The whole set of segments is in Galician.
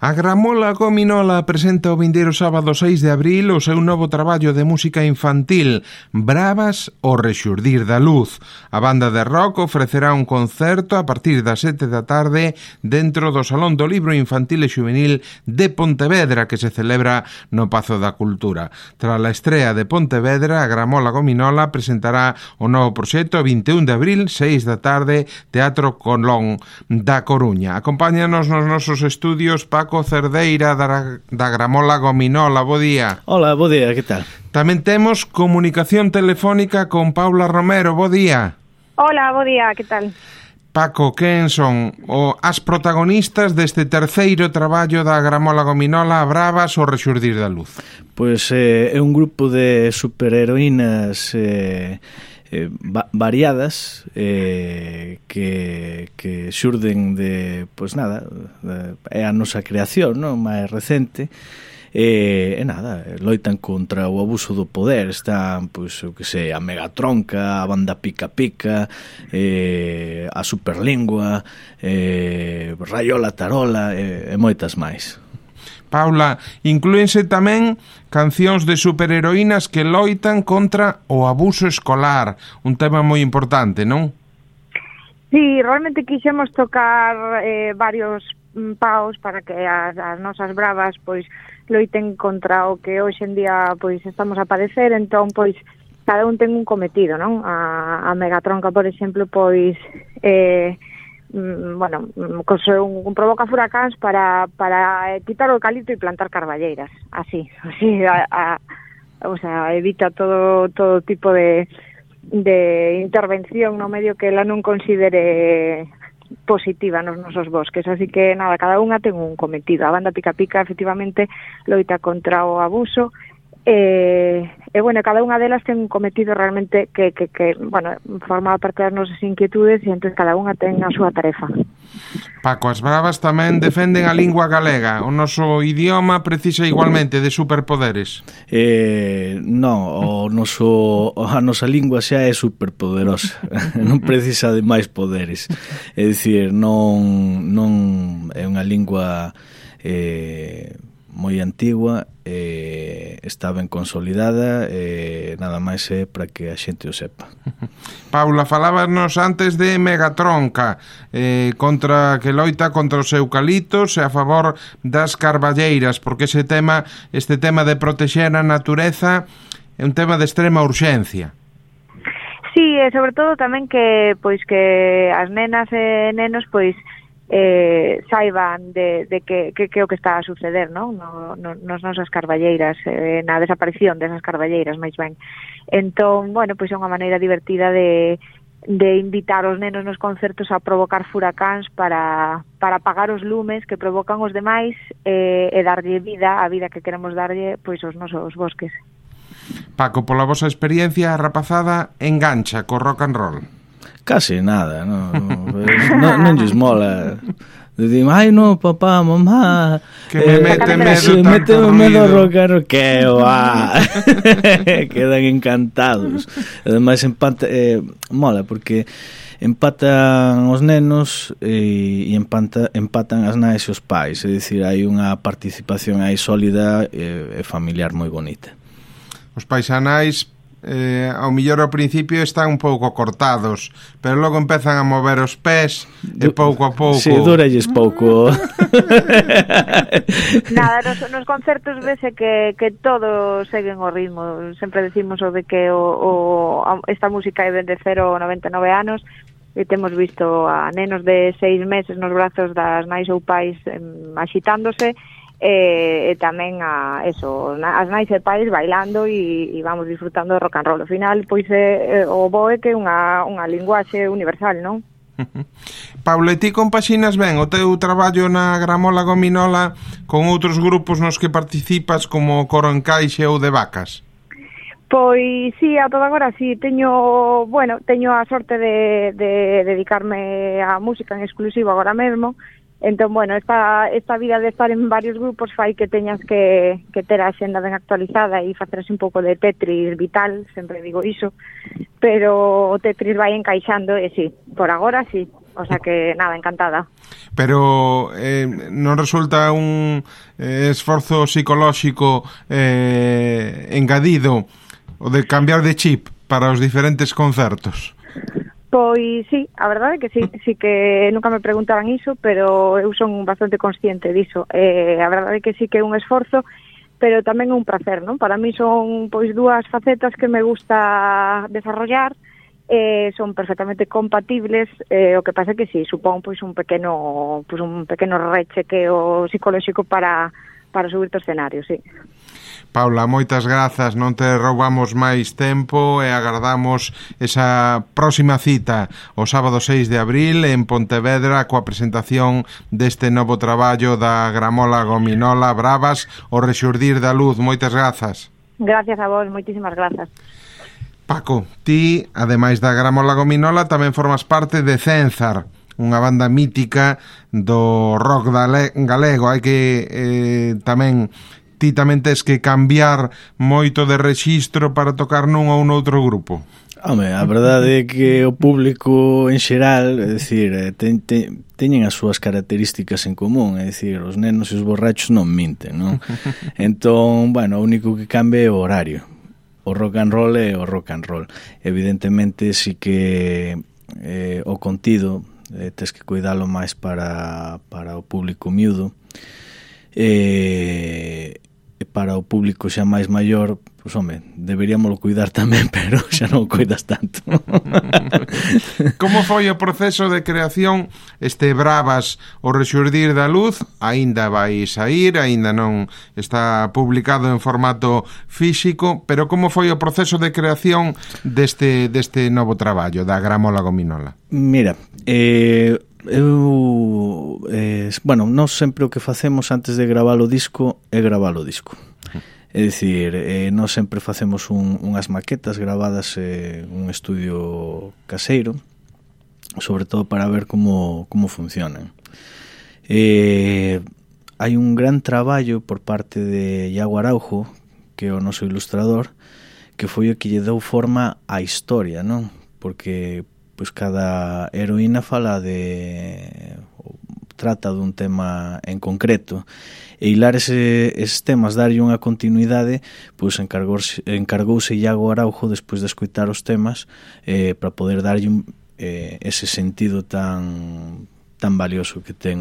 A Gramola Gominola presenta o vindeiro sábado 6 de abril o seu novo traballo de música infantil, Bravas o rexurdir da luz. A banda de rock ofrecerá un concerto a partir das 7 da tarde dentro do Salón do Libro Infantil e Xuvenil de Pontevedra, que se celebra no Pazo da Cultura. Tras a estrea de Pontevedra, a Gramola Gominola presentará o novo proxecto 21 de abril, 6 da tarde, Teatro Colón da Coruña. Acompáñanos nos nosos estudios Paco Cerdeira da Gramola Gominola. Bo día. Hola, bo día, que tal? Tamén temos comunicación telefónica con Paula Romero. Bo día. Hola, bo día, que tal? Paco, quen son as protagonistas deste terceiro traballo da Gramola Gominola, Bravas o rexurdir da luz? Pois é un grupo de superheroínas variadas que xurden de, pois nada, é a nosa creación, non? Máis recente, e nada, loitan contra o abuso do poder. Están, pois, o que sei, a Megatronca, a banda Pica Pica, a Superlingua, Rayola Tarola e moitas máis. Paula, inclúense tamén cancións de superheroínas que loitan contra o abuso escolar, un tema moi importante, non? Sí, realmente quixemos tocar varios paus para que as nosas bravas pois loiten contra o que hoxe en día pois estamos a padecer, entón pois cada un ten un cometido, non? A Megatronca, por exemplo, pois provoca furacáns para quitar o eucalipto e plantar carballeiras, así o sea, evita todo tipo de intervención no medio que ela non considere positiva nos nosos bosques, así que nada, cada unha ten un cometido. A banda Pica Pica efectivamente loita contra o abuso bueno, cada unha delas ten un cometido realmente que bueno, forma parte das nosas inquietudes e entón cada unha ten a súa tarefa. Paco, as bravas tamén defenden a lingua galega. O noso idioma precisa igualmente de superpoderes? Non, a nosa lingua xa é superpoderosa. Non precisa de máis poderes. É dicir, non é unha lingua moi antigua, está ben consolidada, nada máis é para que a xente o sepa. Paula, falábanos antes de Megatronca, que loita contra os eucaliptos e a favor das carballeiras, porque este tema de protexer a natureza é un tema de extrema urxencia. Sí, e sobre todo tamén que as nenas e nenos pois saiban de que o que está a suceder, non? Nas nosas carballeiras, na desaparición desas carballeiras, máis ben. Entón, bueno, pois é unha maneira divertida de invitar os nenos nos concertos a provocar furacáns para apagar os lumes que provocan os demais e darlle vida, a vida que queremos darlle pois aos nosos bosques. Paco, pola vosa experiencia, a rapazada engancha co rock and roll? Casi nada, non lles mola. Dicimos, ai no, papá, mamá, que me mete medo rockero, que va. Quedan encantados. Ademais mola porque empatan os nenos e empatan as nais e os pais, é dicir, hai unha participación aí sólida e familiar moi bonita. Os pais e nais ao millor ao principio están un pouco cortados, pero logo empezan a mover os pés e pouco a pouco. Si, duralles pouco. Nada, nos concertos vese que todos seguen o ritmo. Sempre decimos o de que esta música é de 0 a 99 anos e temos visto a nenos de 6 meses nos brazos das nais ou pais axitándose e tamén as nais e pais bailando e vamos disfrutando do rock and roll. Ao final, pois o bo é que é unha linguaxe universal, non? Paula, ti compaxinas ben o teu traballo na Gramola Gominola con outros grupos nos que participas como Coro Encaixe ou de Vacas? Pois sí, a toda agora sí, teño a sorte de dedicarme á música en exclusivo agora mesmo. Entón, bueno, esta vida de estar en varios grupos fai que teñas que ter a xenda ben actualizada e facerse un pouco de Tetris vital, sempre digo iso, pero o Tetris vai encaixando e sí, por agora sí, O sea que, nada, encantada. Pero non resulta un esforzo psicolóxico engadido o de cambiar de chip para os diferentes concertos? Pois sí, a verdade é que sí que nunca me preguntaban iso, pero eu son bastante consciente diso. A verdade é que sí que é un esforzo, pero tamén é un placer, non? Para mí son pois dúas facetas que me gusta desarrollar, son perfectamente compatibles, o que pasa é que sí, supón pois un pequeno rechequeo psicolóxico para subir ao escenario, sí. Paula, moitas grazas, non te roubamos máis tempo e agardamos esa próxima cita o sábado 6 de abril en Pontevedra coa presentación deste novo traballo da Gramola Gominola, Bravas, o rexurdir da luz. Moitas grazas. Gracias a vos, moitísimas grazas. Paco, ti, ademais da Gramola Gominola, tamén formas parte de Cénzar, unha banda mítica do rock galego. Hai que ti tamén tes que cambiar moito de rexistro para tocar nun ou noutro grupo. Home, a verdade é que o público en xeral, é dicir, teñen as súas características en común, é dicir, os nenos e os borrachos non minten, non? Entón, bueno, o único que cambia é o horario. O rock and roll é o rock and roll. Evidentemente, si que o contido tes que cuidalo máis para o público miúdo, para o público xa máis maior, pois, home, deberíamoslo cuidar tamén, pero xa non o cuidas tanto. Como foi o proceso de creación Bravas, o rexurdir da luz? Aínda vai saír, aínda non está publicado en formato físico, pero como foi o proceso de creación deste novo traballo da Gramola Gominola? Mira, nós sempre o que facemos antes de gravar o disco é gravar o disco. É dicir, nós sempre facemos unhas maquetas gravadas en un estudio caseiro, sobre todo para ver como funcionan. Hai un gran traballo por parte de Iago Araujo, que é o noso ilustrador, que foi o que lle deu forma á historia, non? Porque pois cada heroína trata dun tema en concreto, e hilar eses temas, darlle unha continuidade, pois encargouse Iago Araujo despois de escoitar os temas para poder darlle ese sentido tan valioso que ten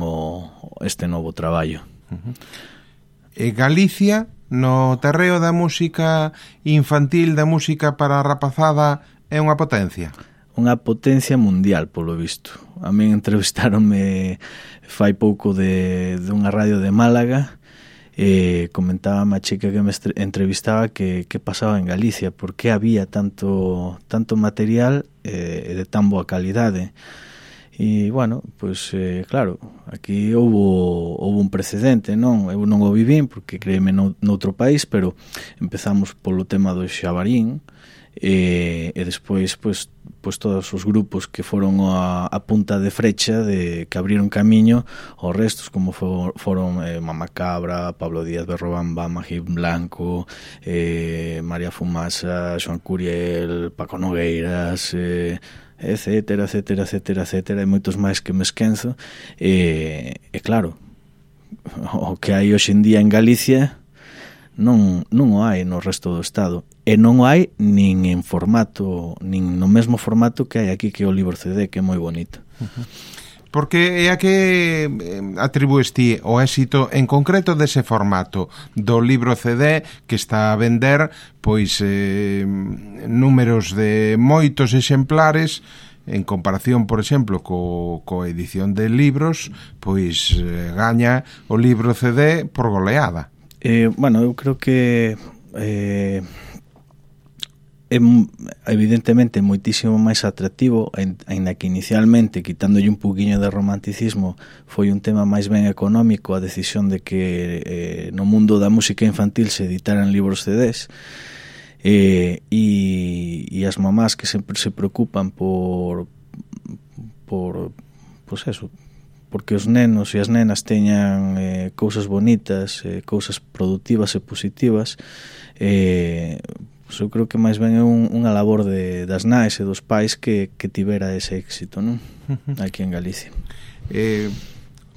este novo traballo. E Galicia, no terreo da música infantil, da música para a rapazada, é unha potencia? Unha potencia mundial, polo visto. A min entrevistáronme fai pouco de unha radio de Málaga, comentaba a chica que me entrevistaba que pasaba en Galicia, porque había tanto material de tan boa calidade. E, bueno, pois, claro, aquí houve un precedente, non? Eu non o vivín, porque créeme noutro país, pero empezamos polo tema do Xabarín, e despois pois todos os grupos que foron a punta de frecha que abriron camiño aos restos, como foron Mama Cabra, Pablo Díaz Berrobamba, Magín Blanco, María Fumasa, Xoan Curiel, Paco Nogueiras, etcétera, e moitos máis que me esquenzo. E claro, o que hai hoxe en día en Galicia non o hai no resto do Estado, e non o hai nin no mesmo formato que hai aquí, que é o libro CD, que é moi bonito. Porque é a que atribúes ti o éxito en concreto dese formato do libro CD, que está a vender pois números de moitos exemplares, en comparación, por exemplo, co edición de libros, pois gaña o libro CD por goleada. Bueno, eu creo que é evidentemente moitísimo máis atractivo, aínda que inicialmente, quitándolle un pouquiño de romanticismo, foi un tema máis ben económico a decisión de que no mundo da música infantil se editaran libros CDs, e as mamás que sempre se preocupan por pois eso, porque os nenos e as nenas teñan cousas bonitas, cousas productivas e positivas, Eu creo que máis ben é unha labor das nais e dos pais que tivera ese éxito, non? Aquí en Galicia.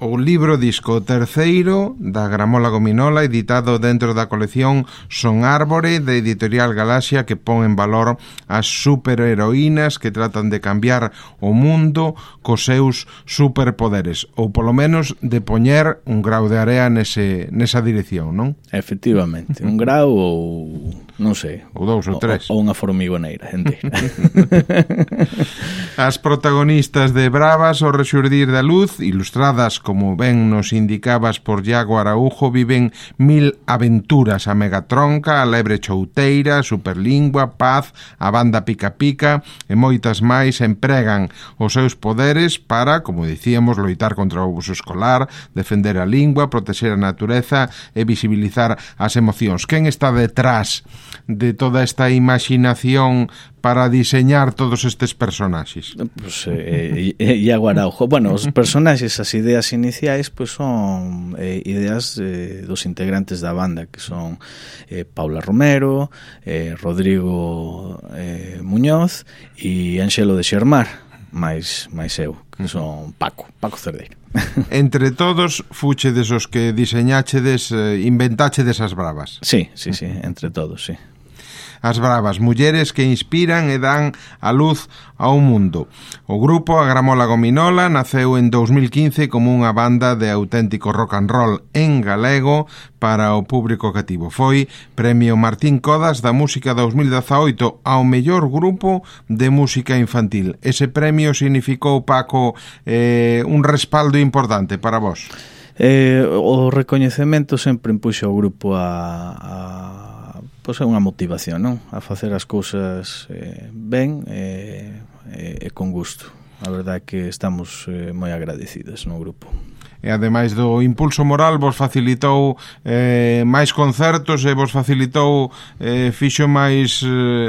O libro disco terceiro da Gramola Gominola, editado dentro da colección Son Árbore, de Editorial Galaxia, que pon en valor as superheroínas que tratan de cambiar o mundo cos seus superpoderes, ou polo menos de poñer un grau de area nesa dirección, non? Efectivamente, un grau ou non sei, ou dous ou tres, ou unha formigoneira inteira. As protagonistas de Bravas, o rexurdir da luz, ilustradas, como ben nos indicabas, por Iago Araujo, viven 1000 aventuras: a Megatronca, a Lebre Chouteira, a Superlingua, Paz, a Banda Pica Pica e moitas máis. Empregan os seus poderes para, como dicíamos, loitar contra o abuso escolar, defender a lingua, protexer a natureza e visibilizar as emocións. Quen está detrás de toda esta imaginación para diseñar todos estes personaxes? Pues, Iago Araujo. Bueno, os personaxes, as ideas iniciais, pues son ideas dos integrantes da banda, que son Paula Romero, Rodrigo Muñoz e Anxelo de Xermar, máis eu, que son Paco Cerdeira. Entre todos, fuchedes os que diseñachedes, inventáchedes as Bravas. Sí, entre todos, sí. As Bravas, mulleres que inspiran e dan a luz ao mundo. O grupo, a Gramola Gominola, naceu en 2015 como unha banda de auténtico rock and roll en galego para o público cativo. Foi Premio Martín Codas da Música 2018 ao mellor grupo de música infantil. Ese premio significou, Paco, un respaldo importante para vos? O recoñecemento sempre empuxa o grupo pois é unha motivación, non? A facer as cousas ben e con gusto. A verdade é que estamos moi agradecidos no grupo. E ademais do impulso moral vos facilitou máis concertos e vos facilitou fixo máis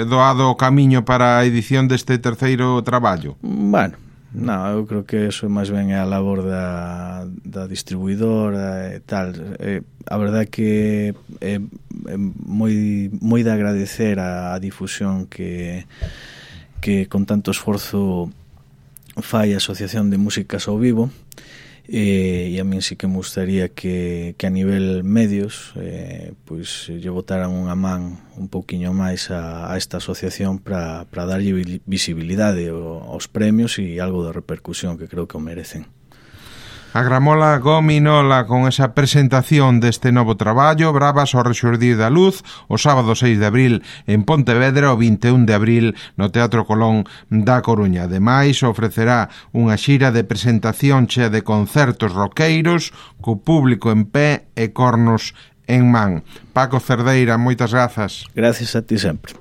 doado o camiño para a edición deste terceiro traballo? Bueno, non, eu creo que eso máis ben é a labor da distribuidora e tal. A verdade é que é moi de agradecer a difusión que con tanto esforzo fai a Asociación de Músicas ao Vivo, e a min sí que me gustaría que a nivel medios pois lle botaran unha man un pouquiño máis a esta asociación para darlle visibilidade aos premios e algo de repercusión que creo que o merecen. A Gramola Gominola con esa presentación deste novo traballo, Bravas, o rexurdir da luz, o sábado 6 de abril en Pontevedra, o 21 de abril no Teatro Colón da Coruña. Ademais, ofrecerá unha xira de presentación chea de concertos roqueiros, co público en pé e cornos en man. Paco Cerdeira, moitas grazas. Gracias a ti sempre.